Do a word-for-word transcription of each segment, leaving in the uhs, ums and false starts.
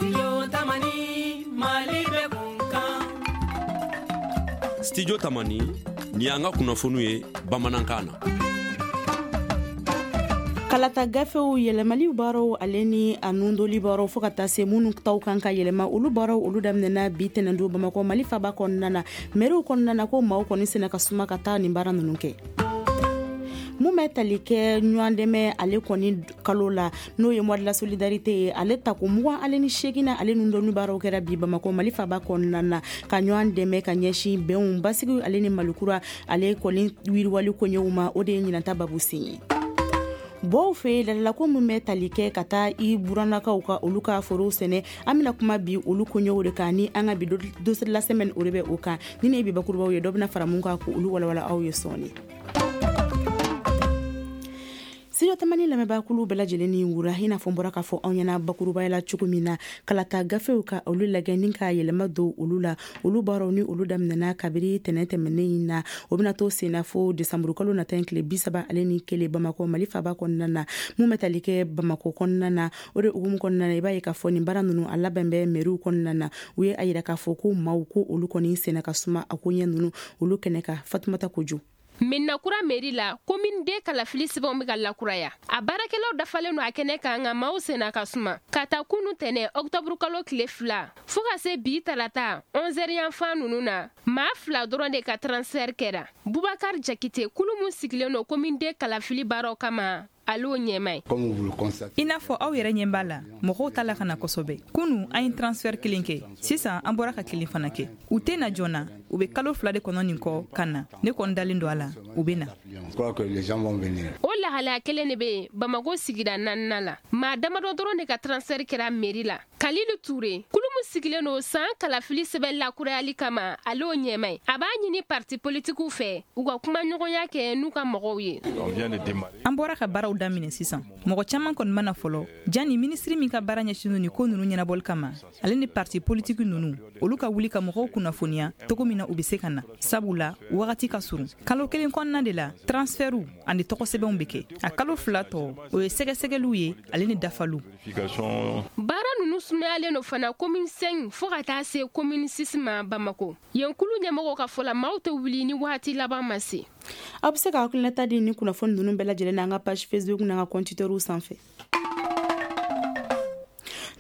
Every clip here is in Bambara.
Studio Tamani, Mali bɛ kun kan. Studio Tamani, ni y'an ka kunnafoniw ye bamanankan na. Kalata gafew yɛlɛmali baaraw ale ni a nundoli baaraw, fo ka taa se minnu taw kan ka yɛlɛma, olu baaraw olu daminɛna bi tɛnɛndon Bamakɔ, Mali faba kɔnɔna na. Mɛriw kɔnɔna na, ko maaw kɔni sena ka suma ka taa nin baara ninnu kɛ. Mun bɛ tali kɛ ɲɔgɔn dɛmɛ ale kɔni kalo la, n'o ye mois de la solidarité ye, ale tako mugan ale ni seegin ale nundoni baaraw kɛra bi Bamakɔ, Mali faba kɔnɔna na, ka ɲɔgɔn dɛmɛ ka ɲɛsin bɛnw, basigi ale ni malikura ale kɔni yiriwali koɲɛw ma. O de ye ɲinanta babu sen ye. Bɔw fɛ lalako min bɛ tali kɛ ka taa i burannakaw ka olu ka forow sɛnɛ, an bɛna kuma bi olu koɲɛw de kan ni an ka bi dossier de la semaine, o de bɛ o kan. Ni ne ye bi bakurubaw ye, dɔ bɛna fara mun kan k'olu walawala aw ye sɔɔni. Studio Tamani lamɛnbaakulu bɛɛ lajɛlen ni wura. I n'a fɔ n bɔra k'a fɔ aw ɲɛna bakurubaya la cogo min na, kalata gafew ka olu lajɛ ni ka yɛlɛma don olu la, olu baaraw ni olu daminɛna kabiri tɛnɛn tɛmɛnen in na. O bɛna to senna fo desanburu kalo nata in tile bi saba ale ni kelen Bamakɔ, Mali faba kɔnɔna na. Mun bɛ tali kɛ Bamakɔ kɔnɔna na, o de hukumu kɔnɔna na, i b'a ye k'a fɔ nin baara ninnu a labɛn bɛ mɛriw kɔnɔna na. U ye a yira k'a fɔ ko maaw ko olu kɔni senna ka suma a koɲɛ ninnu olu kɛnɛ kan. Fatumata Kojo. Medina Kura mairie la, commune deux kalafili sɛbɛnw bɛ ka lakuraya. A baarakɛlaw dafalen don a kɛnɛ kan, nka maaw senna ka suma. Ka ta kunu tɛnɛ ɔkutɔburu kalo tile fila fo ka se bi tarata onze heures yanfan ninnu na, maa fila dɔrɔn de ka transfert kɛra. Bubakar Jakite, kulu mun sigilen don commune deux kalafili baaraw kama, ale y'o ɲɛma ye. I n'a fɔ aw yɛrɛ ɲɛ b'a la, mɔgɔw t'a la ka na kosɛbɛ. Kunu an ye transfert kelen kɛ, sisan an bɔra ka kelen fana kɛ. U tɛ na joona, u bɛ kalo fila de kɔnɔ nin kɔ ka na. Ne kɔni dalen don a la, u bɛ na. O lahalaya kelen de bɛ yen Bamako sigida naaninan la. Maa damadɔ dɔrɔn de ka transfert kɛra mairie la. Kalilu Ture, kulu min sigilen don san kalafili sɛbɛn lakurayali kama, ale y'o ɲɛma ye. A b'a ɲini parti politikiw fɛ, u ka kuma ɲɔgɔnya kɛ n'u ka mɔgɔw ye. An bɔra ka baaraw daminɛ sisan, mɔgɔ caman kɔni mana fɔlɔ jani minisiri min ka baara ɲɛsinnen nin ko ninnu ɲɛnabɔli kama, ale ni parti politiki ninnu, olu ka wuli ka mɔgɔw kunnafoniya cogo min na u bɛ se ka na, sabula wagati ka surun. Kalo kelen kɔnɔna de la, transfertw ani tɔgɔsɛbɛnw bɛ kɛ. A kalo fila tɔ, o ye sɛgɛsɛgɛliw ye ale ni dafaliw. Baara ninnu sumayalen don fana commune cinq fo ka taa se commune six ma Bamako. Yen kulu ɲɛmɔgɔw ka fɔ la, maaw tɛ wuli ni waati laban ma se. Aw bɛ se ka hakilinata di ni kunnafoni ninnu bɛɛ lajɛlen na an ka page Facebook n'an ka compte Twitter sanfɛ.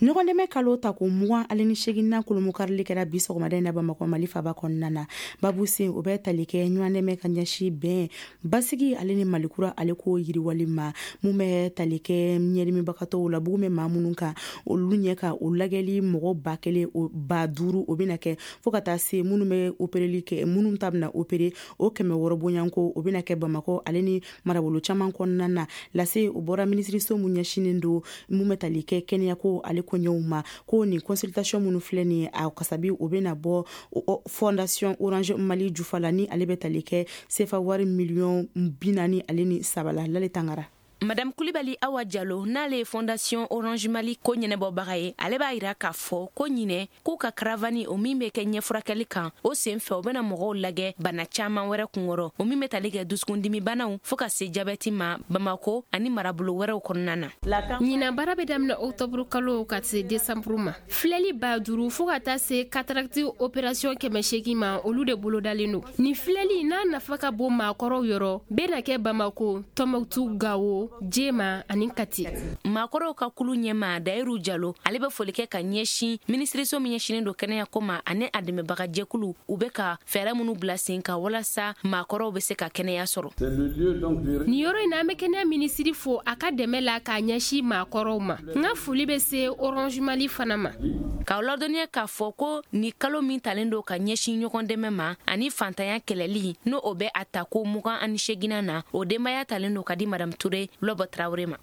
Ɲɔgɔn dɛmɛ kalo ta ko mugan ale ni seeginnan kolomokarili kɛra bi sɔgɔmada in na Bamakɔ, Mali faba kɔnɔna na. Babu sen, o bɛ tali kɛ ɲɔgɔn dɛmɛ ka ɲɛsin bɛn, basigi ale ni malikura ale ko yiriwali ma. Mun bɛ tali kɛ ɲɛdimibagatɔw la, bugun bɛ maa minnu kan, olu ɲɛ ka o lajɛli mɔgɔ ba kelen ba duuru, o bɛna kɛ, fo ka taa se minnu bɛ opereli kɛ, minnu ta bɛna opere, o kɛmɛ wɔɔrɔ bonyanko, o bɛna kɛ Bamakɔ ale ni marabolo caman kɔnɔna na. Lase o bɔra minisiriso mun ɲɛsinnen don mun bɛ tali kɛ kɛnɛyako ale koɲɛw ma, ko nin consultation minnu filɛ nin ye, a kasabi o bɛna bɔ Fondation Orange Mali jufa la, ni ale bɛ tali kɛ sefa wari miliyɔn bi naani ale ni saba la. Lale Tangara. Madame Kulibali Awa Jalo, n'ale ye Fondation Orange Mali ko ɲɛnɛbɔbaga ye, ale b'a yira k'a fɔ ko ɲinɛ k'u ka caravane o min bɛ kɛ ɲɛfurakɛli kan, o sen fɛ u bɛna mɔgɔw lagɛ bana caaman wɛrɛ kunkɔrɔ, o min bɛ tali kɛ dusukundimibanaw fɔɔ ka se jabɛti ma, Bamako ani marabolo wɛrɛw kɔnɔna na. Ɲinan baara bɛ daminɛ ɔkutɔburu kalo ka se desanburu ma. Filɛli ba duuru fɔɔ ka taa se cataracte opération kɛmɛ seegin ma, olu de bolodalen don. Nin filɛli n'a nafa ka bon maakɔrɔw yɔrɔ, bɛna kɛ Bamako, Tɔnbɔkutu, Gawo, Jema ani Kati. Maakɔrɔw ka kulu ɲɛma Dayiru Jalo, ale bɛ foli kɛ ka ɲɛsin minisiriso min ɲɛsinnen don kɛnɛyako ma ani a dɛmɛbagajɛkulu, u bɛ ka fɛɛrɛ minnu bila sen kan walasa maakɔrɔw bɛ se ka kɛnɛya sɔrɔ. Nin yɔrɔ in na, an bɛ kɛnɛya minisiri fo a ka dɛmɛ la k'a ɲɛsin maakɔrɔw ma. N ka foli bɛ se Orange Mali fana ma. K'aw ladɔnniya k'a fɔ ko ni kalo min talen don ka ɲɛsin ɲɔgɔn dɛmɛ ma ani fantanya kɛlɛli, n'o o bɛ a ta ko mugan ani seeginnan na, o denbaya talen don ka di Madame Ture Lɔbɔ Tarawele ma.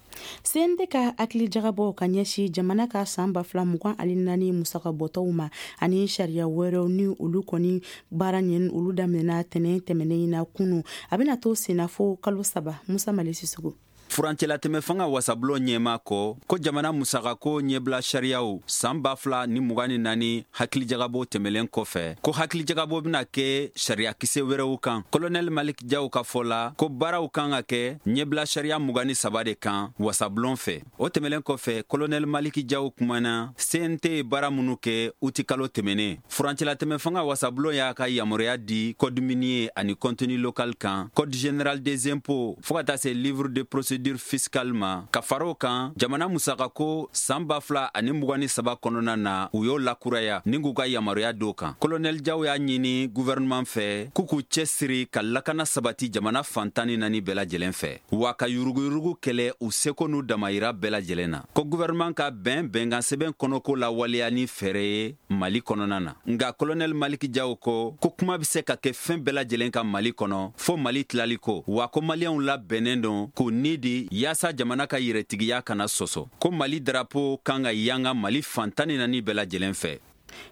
C N T ka hakili jagabɔ ka ɲɛsin jamana ka san ba fila mugan ani naani musaka bɔtɔw ma ani sariya wɛrɛw ni olu kɔni baara ɲɛ, olu daminɛna tɛnɛn tɛmɛnen in na kunu, a bɛna to senna fo kalo saba. Musa Mali Sisugo. Furancɛlatɛmɛ fanga wasabulon ɲɛma kɔ ko jamana musakako ɲɛbila sariyaw san ba fila ni mugan ni naani hakilijagabɔ tɛmɛlen kɔfɛ, ko hakilijagabɔ bɛna kɛ sariyakisɛ wɛrɛw kan. Kolonɛli Malik Jaw ka fɔ la ko baaraw kan ka kɛ ɲɛbila sariya mugan ni saba de kan wasabulon fɛ. O tɛmɛlen kɔfɛ, Kolonɛli Malik Jaw kumana C N T ye baara minnu kɛ utikalo tɛmɛnen. Furancɛlatɛmɛ fanga wasabulon y'a ka yamaruya di code minier ani contenu local kan, code général des impôts fo ka taa se livre de procédure fiscale ma. Ka fara o kan, jamana musakako san ba fila ani mugan ni saba kɔnɔna na, u y'o lakuraya ni k'u ka yamaruya d'o kan. Kolonɛli Jaw y'a ɲini gouvernement fɛ k'u k'u cɛsiri ka lakana sabati jamana fan tan ni naani bɛɛ lajɛlen fɛ, wa ka yuruguyurugu kɛlɛ u seko n'u damayira bɛɛ lajɛlen na. Ko gouvernement ka bɛn bɛnkan sɛbɛn kɔnɔko lawaleya ni fɛɛrɛ ye Mali kɔnɔna na. Nka Kolonɛli Malik Jaw ko ko kuma bɛ se ka kɛ fɛn bɛɛ lajɛlen ka Mali kɔnɔ fo Mali tilali ko, wa ko maliyɛnw labɛnnen don k'u ni di yaasa jamana ka yɛrɛtigiya kana sɔsɔ. Ko Mali darapo kan ka yanga Mali fan tan ni naani bɛɛ lajɛlen fɛ.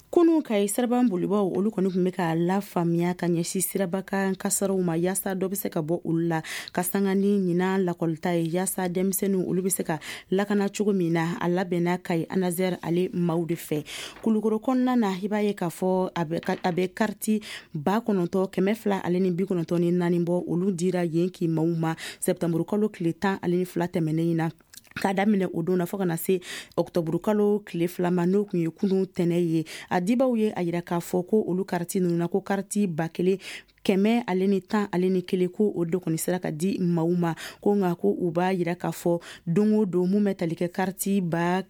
Kunu Kayi siraban bolibaw olu kɔni tun bɛ k'a lafaamuya ka ɲɛsin sirabakan kasaraw ma yaasa dɔ bɛ se ka bɔ olu la ka sanga ni ɲinan lakɔlita ye yaasa denmisɛnninw olu bɛ se ka lakana cogo min na. A labɛnna Kayi Anazɛri ale maaw de fɛ. Kulukoro kɔnɔna na, i b'a ye k'a fɔ a bɛ kariti ba kɔnɔntɔn kɛmɛ fila ale ni bi kɔnɔntɔn ni naani bɔ, olu dira yen k'i maaw ma sɛtanburu kalo tile tan ale ni fila tɛmɛnen in na, k'a daminɛ o don na fo ka na se ɔkutɔburu kalo tile fila ma, n'o tun ye kunun tɛnɛ ye. A dibaw ye a yira k'a fɔ ko olu kariti ninnu na, ko kariti ba kelen kɛmɛ ale ni tan ale ni kelen ko o de kɔni sera ka di maaw ma. Ko nka ko u b'a yira k'a fɔ don o don mun bɛ tali kɛ kariti ba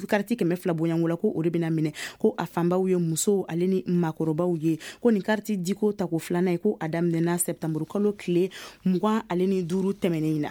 kariti kɛmɛ fila bonyanko la, ko o de bɛna minɛ, ko a fanbaw ye musow ale ni maakɔrɔbaw ye. Ko nin kariti diko tako filanan ye, ko a daminɛna sɛtanburu kalo tile mugan ale ni duuru tɛmɛnen in na.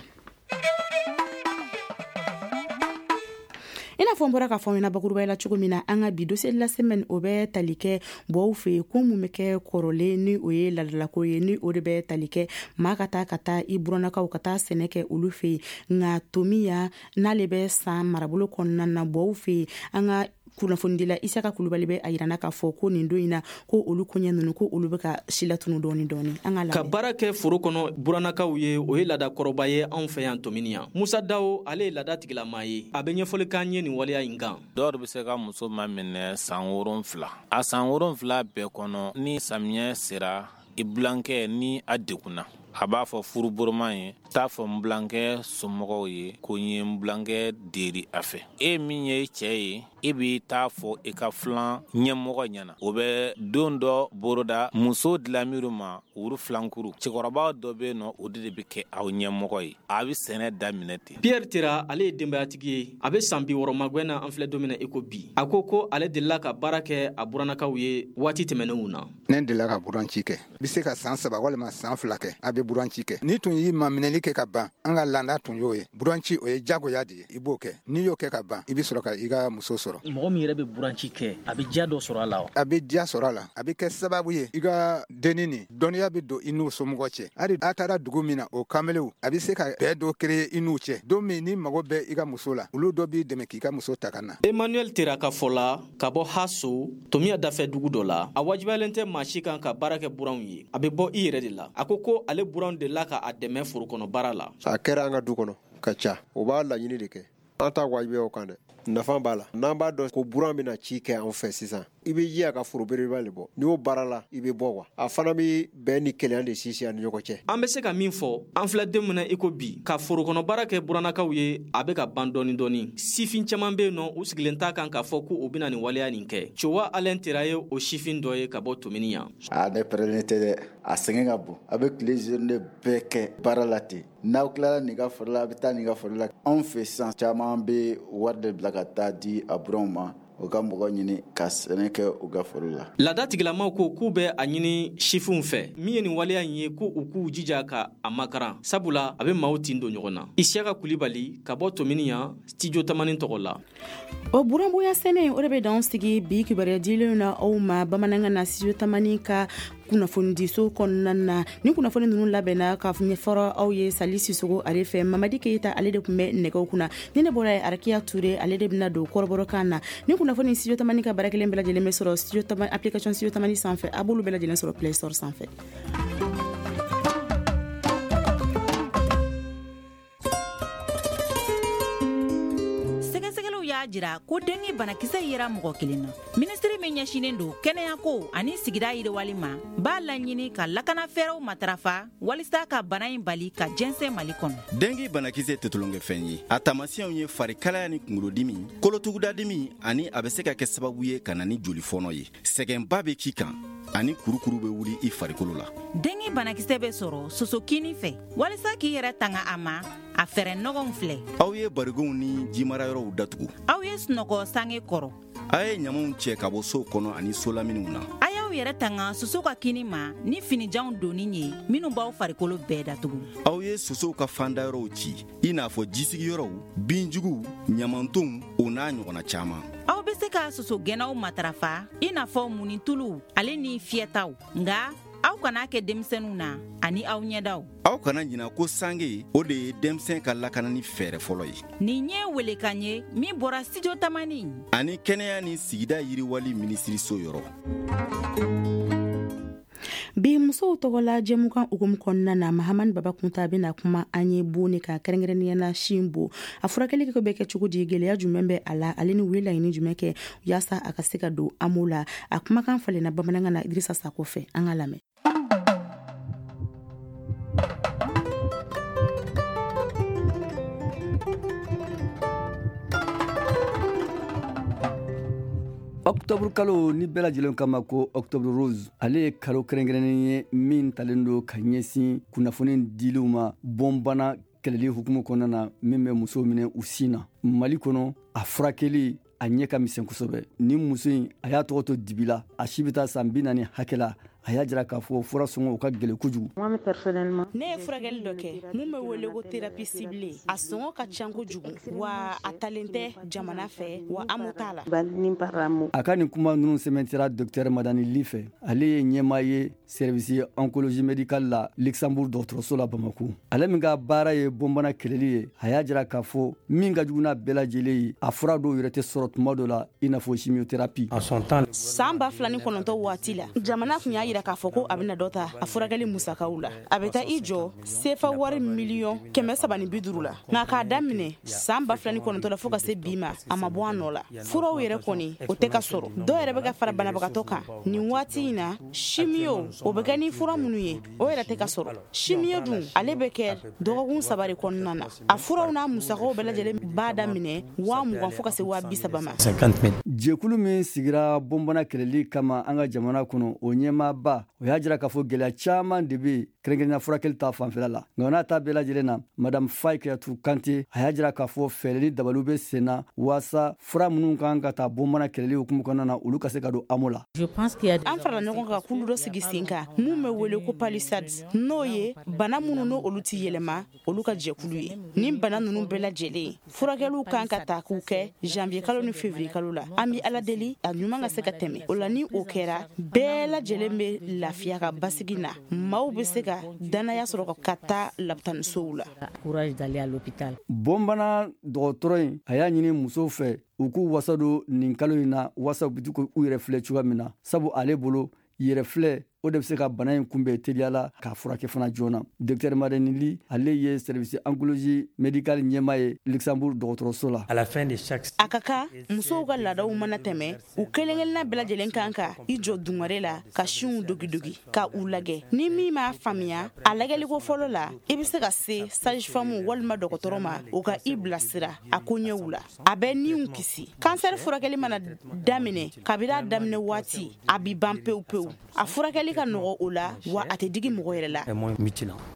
I n'a fɔ n bɔra k'a fɔ ɲɛna bakurubaya la cogo min na, an ka bi dossier de la semaine o bɛ tali kɛ bɔw fɛ yen, ko mun bɛ kɛ kɔrɔlen ni o ye ladalako ye, ni o de bɛ tali kɛ maa ka taa ka taa i burannakaw ka taa sɛnɛ kɛ olu fɛ yen. Nka Tomiya n'ale bɛ San marabolo kɔnɔna na bɔw fɛ yen, an ka kunnafonidila Isaka Kulubali bɛ a yirana k'a fɔ ko nin don in na ko olu koɲɛ ninnu ko olu bɛ ka silatunu dɔɔni dɔɔni. An ka lamɛn. Ka baara kɛ foro kɔnɔ burannakaw ye, o ye laada kɔrɔba ye anw fɛ yan Tomini yan. Musa Dawo ale ye laada tigilamaa ye, a bɛ ɲɛfɔli k'an ye nin waleya in kan. Dɔw bɛ se ka muso ma minɛ san wolonfila, a san wolonfila bɛɛ kɔnɔ ni samiyɛ sera i bilankɛ ni a degunna, a b'a fɔ furuboroma ye, t'a fɔ n bilankɛ somɔgɔw ye ko n ye n bilankɛ deri a fɛ. E min ye cɛ ye, e b'i t'a fɔ i ka filan ɲɛmɔgɔ ɲɛna. O bɛ don dɔ boroda muso dilanmiru ma wuru filankuru. Cɛkɔrɔba dɔ bɛ yen nɔ, o de bɛ kɛ aw ɲɛmɔgɔ ye. A bɛ sɛnɛ daminɛ ten. Pierre Tera ale ye denbayatigi ye, a bɛ san bi wɔɔrɔ magɛn na an filɛ don min na i ko bi. A ko ko ale delila ka baara kɛ a burannakaw ye waati tɛmɛnenw na. Ne delila ka buranci kɛ, i bɛ se ka san saba walima san fila kɛ, a bɛ buranci kɛ. N'i tun y'i maminɛli kɛ ka ban, an ka laada tun y'o ye. Buranci o ye jagoya de ye, i b'o kɛ. N'i y'o kɛ ka ban, i bɛ sɔrɔ ka i ka muso sɔrɔ. Mɔgɔ min yɛrɛ bɛ buranci kɛ, a bɛ diya dɔ sɔrɔ a la wa? A bɛ diya sɔrɔ a la, a bɛ kɛ sababu ye i ka denni nin dɔnniya bɛ don i n'u somɔgɔ cɛ. Hali a taara dugu min na, o kamelenw a bɛ se ka bɛn dɔ créer i n'u cɛ. Don min n'i mago bɛ i ka muso la, olu dɔ b'i dɛmɛ k'i ka muso ta ka na. Emmanuel Tera ka fɔ la ka bɔ Haso, Tomiya dafɛ dugu dɔ la, a wajibiyalen tɛ maa si kan ka baara kɛ buranw ye, a bɛ bɔ i yɛrɛ de la. A ko ko ale buranw delila ka a dɛmɛ foro kɔnɔ baara la. A kɛra an ka du kɔnɔ ka ca, o b'a laɲini de kɛ. An t'a wajibiya o kan dɛ, nafa b'a la. N'an b'a dɔn ko buran bɛna ci kɛ an fɛ sisan, i bɛ ji a ka foro belebeleba de bɔ. N'i y'o baara la, i bɛ bɔ wa. A fana bɛ bɛn ni kelenya de sinsin a ni ɲɔgɔn cɛ. An bɛ se ka min fɔ, an filɛ don min na i ko bi, ka forokɔnɔ baara kɛ burannakaw ye, a bɛ ka ban dɔɔni dɔɔni. Sifin caman bɛ yen nɔ, u sigilen t'a kan k'a fɔ ko u bɛna nin waleya nin kɛ. Cowa Alain Tera ye o sifin dɔ ye ka bɔ Tomini yan. A ne pɛrɛnnen tɛ dɛ, a sɛgɛn ka bon. A bɛ tile journée bɛɛ kɛ baara la ten. N'aw tilara nin ka foro la, a bɛ taa nin ka foro la. Anw fɛ sisan caman bɛ wari de bila ka taa di a buranw ma, u ka mɔgɔ ɲini ka sɛnɛ kɛ u ka foro la. Laada tigilamaw ko k'u bɛ a ɲini sifinw fɛ min ye nin waleya in ye, ko u k'u jija ka a makaran, sabula a bɛ maaw tin don ɲɔgɔn na. Isiyaka Kulibali ka bɔ Tomini yan, studio Tamani tɔgɔ la. O buranbonya sɛnɛ o de bɛ dan sigi bi kibaruya dilenw na aw ma bamanankan na studio Tamani ka kunnafonidiso kɔnɔna na. Ni kunnafoni ninnu labɛnna ka ɲɛfɔra aw ye Sali Sisogo ale fɛ. Mamadi Keyita ale de tun bɛ nɛgɛw kunna. Ni ne bɔra ye, Arakiya Ture ale de bɛna don kɔrɔbɔrɔkan na. Ni kunnafoni studio Tamani ka baara kelen bɛɛ lajɛlen bɛ sɔrɔ studio Tamani application studio Tamani sanfɛ. A b'olu bɛɛ lajɛlen sɔrɔ Play Store sanfɛ. y'a jira ko dengue banakisɛ yera mɔgɔ kelen na. Minisiri min ɲɛsinnen don kɛnɛyako ani sigida yiriwali ma b'a laɲini ka lakana fɛɛrɛw matarafa walisa ka bana in bali ka jɛnsɛn Mali kɔnɔ. Dengue banakisɛ tɛ tulonkɛfɛn ye. A taamasiyɛnw ye farikalaya ni kunkolodimi, kolotugudadimi ani a bɛ se ka kɛ sababu ye ka na ni jolifɔnɔ ye. Sɛgɛnba bɛ k'i kan ani kurukuru bɛ wuli i farikolo la. Dengue banakisɛ bɛ sɔrɔ sosokini fɛ. Walisa k'i yɛrɛ tanga a ma, a fɛɛrɛ nɔgɔnw filɛ. Aw ye barigonw ni jimarayɔrɔw datugu. Aw ye sunɔgɔ sange kɔrɔ. A ye ɲamanw cɛ ka bɔ sow kɔnɔ ani solaminiw na. A y'aw yɛrɛ tanga soso ka kini ma ni finijanw donni ye minnu b'aw farikolo bɛɛ datugu. Aw ye sosow ka fandayɔrɔw ci, i n'a fɔ jisigiyɔrɔw, binjuguw, ɲamantonw, o n'a ɲɔgɔnna caman. Aw bɛ se ka sosogɛnnaw matarafa i n'a fɔ munituluw ale ni fiyɛtaw, nka aw kana kɛ denmisɛnninw na ani aw ɲɛdaw. Aw kana ɲina ko sange o de ye denmisɛn ka lakanani fɛɛrɛ fɔlɔ ye. Nin ye welekan ye min bɔra Studio Tamani ani kɛnɛya ni sigida yiriwali minisiriso yɔrɔ. Bi musow tɔgɔla jɛmukan hukumu kɔnɔna na, Mahamani Baba Kunta bɛna kuma an ye bon ne kan, kɛrɛnkɛrɛnnenya la sin bon. A furakɛli bɛ kɛ cogo di, gɛlɛya jumɛn bɛ a la, ale ni u ye laɲini jumɛn kɛ yaasa a ka se ka don A M O la. A kumakan falenna bamanankan na Idrissa Sako fɛ, an ka lamɛn. Octobre kalo ni bɛɛ lajɛlen kama ko Octobre Rose, ale ye kalo kɛrɛnkɛrɛnnen ye min talen don ka ɲɛsin kunnafoni diliw ma bɔnbana kɛlɛli hukumu kɔnɔna na min bɛ musow minɛ u sin na. Mali kɔnɔ a furakɛli a ɲɛ ka misɛn kosɛbɛ. Ni muso in a y'a tɔgɔ to dibi la, a si bɛ taa san bi naani hakɛ la. A y'a jira k'a fɔ fura sɔngɔ o ka gɛlɛn kojugu. Ne ye furakɛli dɔ kɛ mun bɛ wele ko thérapie ciblée. A sɔngɔ ka ca kojugu, wa a talen tɛ jamana fɛ, wa A M O t'a la. A ka nin kuma ninnu sɛmɛntira docteur Madani Li fɛ. Ale ye ɲɛmaa ye service oncologie médicale la Luxembourg dɔgɔtɔrɔso la Bamako. Ale min ka baara ye bɔnbana kɛlɛli ye, a y'a jira k'a fɔ min ka jugu n'a bɛɛ lajɛlen ye, a fura dɔw yɛrɛ tɛ sɔrɔ tuma dɔ la i n'a fɔ chimiothérapie. San ba fila ni kɔnɔntɔn waati la, jamana tun y'a jira k'a fɔ ko a bɛna dɔ ta a furakɛli musakaw la. A bɛ taa i jɔ sefa wari miliyɔn kɛmɛ saba ni bi duuru la. Nka k'a daminɛ san ba fila ni kɔnɔntɔn la fo ka se bi ma, a ma bɔ a nɔ la. Furaw yɛrɛ kɔni o tɛ ka sɔrɔ. Dɔw yɛrɛ bɛ ka fara banabagatɔ kan nin waati in na. Chimio o bɛ kɛ ni fura minnu ye, o yɛrɛ tɛ ka sɔrɔ. Chimio dun ale bɛ kɛ dɔgɔkun saba de kɔnɔna na. A furaw n'a musakaw bɛɛ lajɛlen b'a daminɛ waa mugan fo ka se waa bi saba ma. Jɛkulu min sigira bɔnbana kɛlɛli kama an ka jamana kɔnɔ, o ɲɛmaaba o y'a jira k'a fɔ gɛlɛya caman de bɛ yen kɛrɛnkɛrɛnnenya furakɛli ta fanfɛla la. Nka n'a ta bɛɛ lajɛlen na, madame Faye Kayatu Kante a y'a jira k'a fɔ fɛɛrɛ ni dabaliw bɛ sen na waasa fura minnu kan ka taa bɔnbana kɛlɛli hukumu kɔnɔna na, olu ka se ka don A M O la. An farala ɲɔgɔn kan kulu dɔ sigi sen kan mun bɛ wele ko palissade, n'o ye bana minnu n'olu ti yɛlɛma olu ka jɛkulu ye. Nin bana ninnu bɛɛ lajɛlen furakɛliw kan ka ta k'u kɛ janvier kalo ni février kalo la. An bɛ Ala deli a ɲuman ka se ka tɛmɛ o la. Ni o kɛra, bɛɛ lajɛlen bɛ lafiya ka basigi na, maaw bɛ se ka danaya sɔrɔ ka taa lapitanisow la. Bɔnbana dɔgɔtɔrɔ in a y'a ɲini musow fɛ u k'u wasa don nin kalo in na waasa u bɛ k'u yɛrɛ filɛ cogoya min na, sabu ale bolo yɛrɛ filɛ o de bɛ se ka bana in kunbɛn teliya la k'a furakɛ fana joona. Docteur Madani Li ale ye service oncologie médicale ɲɛmaa ye Luxembourg dɔgɔtɔrɔso la. A ka kan musow ka laadaw mana tɛmɛ, u kelen-kelenna bɛɛ lajɛlen kan ka i jɔ dungare la ka sinw dogidogi ka u lajɛ. Ni min m'a faamuya a lajɛliko fɔlɔ la, i bɛ se ka se sage-femme walima dɔgɔtɔrɔ ma, o ka i bilasira a koɲɛw la. A bɛ niw kisi. Kansɛri furakɛli mana daminɛ, kabini a daminɛ waati a bi ban pewu pewu. A furakɛli ka nɔgɔ o la, wa a tɛ digi mɔgɔ yɛrɛ la.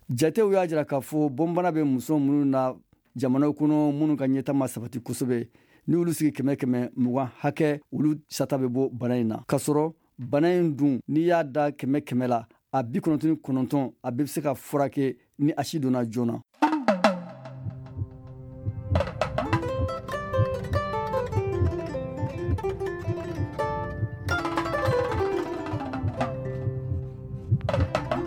Jatew y'a jira k'a fɔ bɔnbana bɛ muso minnu na jamana kɔnɔ minnu ka ɲɛta ma sabati kosɛbɛ, ni olu sigi kɛmɛ kɛmɛ mugan hakɛ, olu sata bɛ bɔ bana in na. K'a sɔrɔ bana in dun n'i y'a da kɛmɛ kɛmɛ la, a bi kɔnɔntɔn ni kɔnɔntɔn a bɛɛ bɛ se ka furakɛ ni a si donna joona.